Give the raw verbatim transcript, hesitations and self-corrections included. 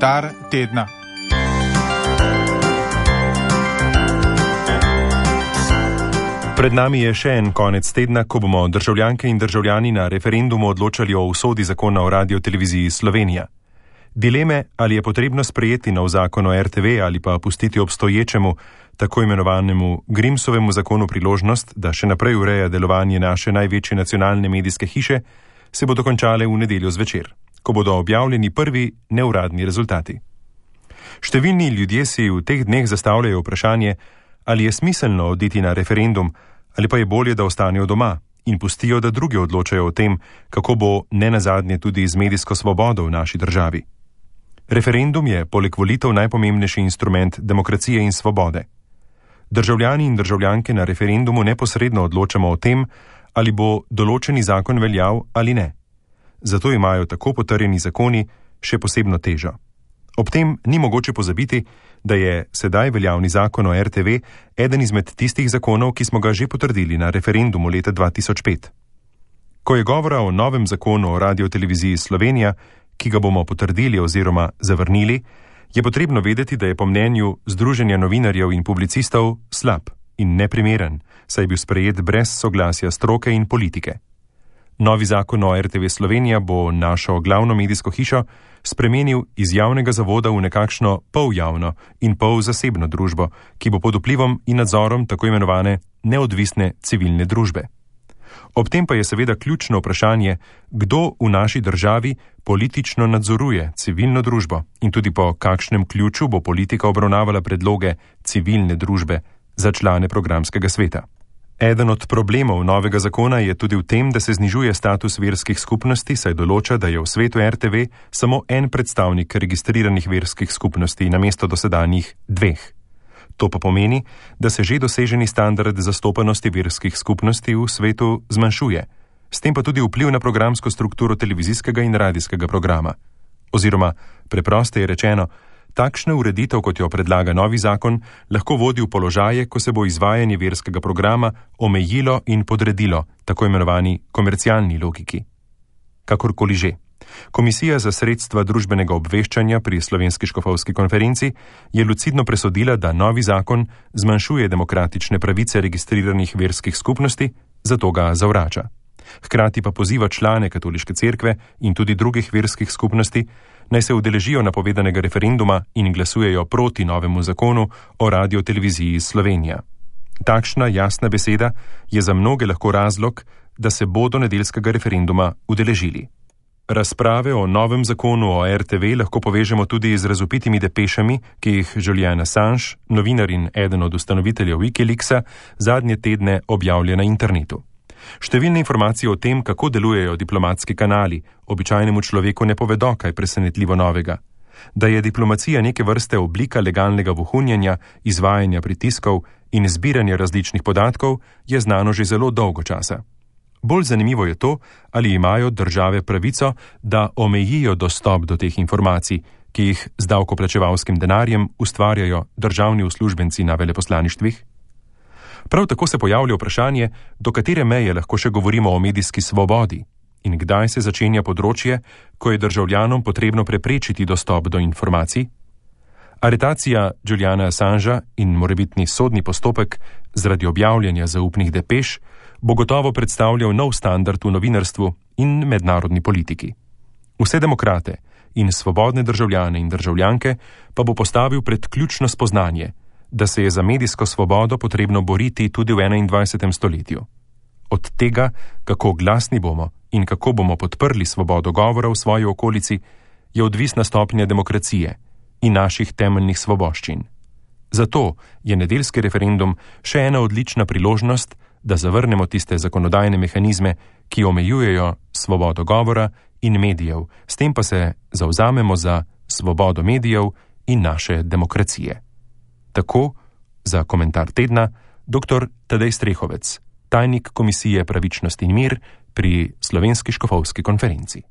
Komentar tedna. Pred nami je še en konec tedna, ko bomo državljanke in državljani na referendumu odločali o usodi zakona o radioteleviziji Slovenija. Dileme, ali je potrebno sprejeti nov zakon o er te ve ali pa pustiti obstoječemu, tako imenovanemu Grimsovemu zakonu priložnost, da še naprej ureja delovanje naše največje nacionalne medijske hiše, se bodo končale v nedeljo zvečer, ko bodo objavljeni prvi neuradni rezultati. Številni ljudje si v teh dneh zastavljajo vprašanje, ali je smiselno oditi na referendum, ali pa je bolje, da ostanejo doma in pustijo, da drugi odločajo o tem, kako bo nenazadnje tudi z medijsko svobodo v naši državi. Referendum je poleg volitev najpomembnejši instrument demokracije in svobode. Državljani in državljanke na referendumu neposredno odločamo o tem, ali bo določeni zakon veljal ali ne. Zato imajo tako potrjeni zakoni še posebno težo. Ob tem ni mogoče pozabiti, da je sedaj veljavni zakon o er te ve eden izmed tistih zakonov, ki smo ga že potrdili na referendumu leta dva tisoč pet. Ko je govora o novem zakonu o radioteleviziji Slovenija, ki ga bomo potrdili oziroma zavrnili, je potrebno vedeti, da je po mnenju Združenja novinarjev in publicistov slab in neprimeren, saj je bil sprejet brez soglasja stroke in politike. Novi zakon o er te ve Slovenija bo našo glavno medijsko hišo spremenil iz javnega zavoda v nekakšno poljavno in pol zasebno družbo, ki bo pod vplivom in nadzorom tako imenovane neodvisne civilne družbe. Ob tem pa je seveda ključno vprašanje, kdo v naši državi politično nadzoruje civilno družbo in tudi po kakšnem ključu bo politika obravnavala predloge civilne družbe za člane programskega sveta. Eden od problemov novega zakona je tudi v tem, da se znižuje status verskih skupnosti, saj določa, da je v svetu er te ve samo en predstavnik registriranih verskih skupnosti namesto dosedanjih dveh. To pa pomeni, da se že doseženi standard zastopanosti verskih skupnosti v svetu zmanjšuje, s tem pa tudi vpliv na programsko strukturo televizijskega in radijskega programa. Oziroma, preprosteje rečeno, takšna ureditev, kot jo predlaga novi zakon, lahko vodi v položaje, ko se bo izvajanje verskega programa omejilo in podredilo tako imenovani komercialni logiki. Kakorkoli že. Komisija za sredstva družbenega obveščanja pri Slovenski škofovski konferenci je lucidno presodila, da novi zakon zmanjšuje demokratične pravice registriranih verskih skupnosti, zato ga zavrača. Hkrati pa poziva člane katoliške cerkve in tudi drugih verskih skupnosti, naj se udeležijo napovedanega referenduma in glasujejo proti novemu zakonu o radioteleviziji Slovenija. Takšna jasna beseda je za mnoge lahko razlog, da se bodo nedeljskega referenduma udeležili. Razprave o novem zakonu o er te ve lahko povežemo tudi z razvpitimi depešami, ki jih Julian Assange, novinar in eden od ustanoviteljev Wikileaksa, zadnje tedne objavlja na internetu. Številne informacije o tem, kako delujejo diplomatski kanali, običajnemu človeku ne povedo kaj presenetljivo novega. Da je diplomacija neke vrste oblika legalnega vohunjenja, izvajanja pritiskov in zbiranja različnih podatkov, je znano že zelo dolgo časa. Bolj zanimivo je to, ali imajo države pravico, da omejijo dostop do teh informacij, ki jih z davkoplačevalskim denarjem ustvarjajo državni uslužbenci na veleposlaništvih. Prav tako se pojavlja vprašanje, do katere meje lahko še govorimo o medijski svobodi in kdaj se začenja področje, ko je državljanom potrebno preprečiti dostop do informacij. Aretacija Juliana Assangea in morebitni sodni postopek zaradi objavljanja zaupnih depeš bo gotovo predstavljal nov standard v novinarstvu in mednarodni politiki. Vse demokrate in svobodne državljane in državljanke pa bo postavil pred ključno spoznanje, da se je za medijsko svobodo potrebno boriti tudi v enaindvajsetem stoletju. Od tega, kako glasni bomo in kako bomo podprli svobodo govora v svoji okolici, je odvisna stopnja demokracije in naših temeljnih svoboščin. Zato je nedeljski referendum še ena odlična priložnost, da zavrnemo tiste zakonodajne mehanizme, ki omejujejo svobodo govora in medijev, s tem pa se zavzamemo za svobodo medijev in naše demokracije. Tako, za komentar tedna, dr. Tadej Strehovec, tajnik Komisije Pravičnost in mir pri Slovenski škofovski konferenci.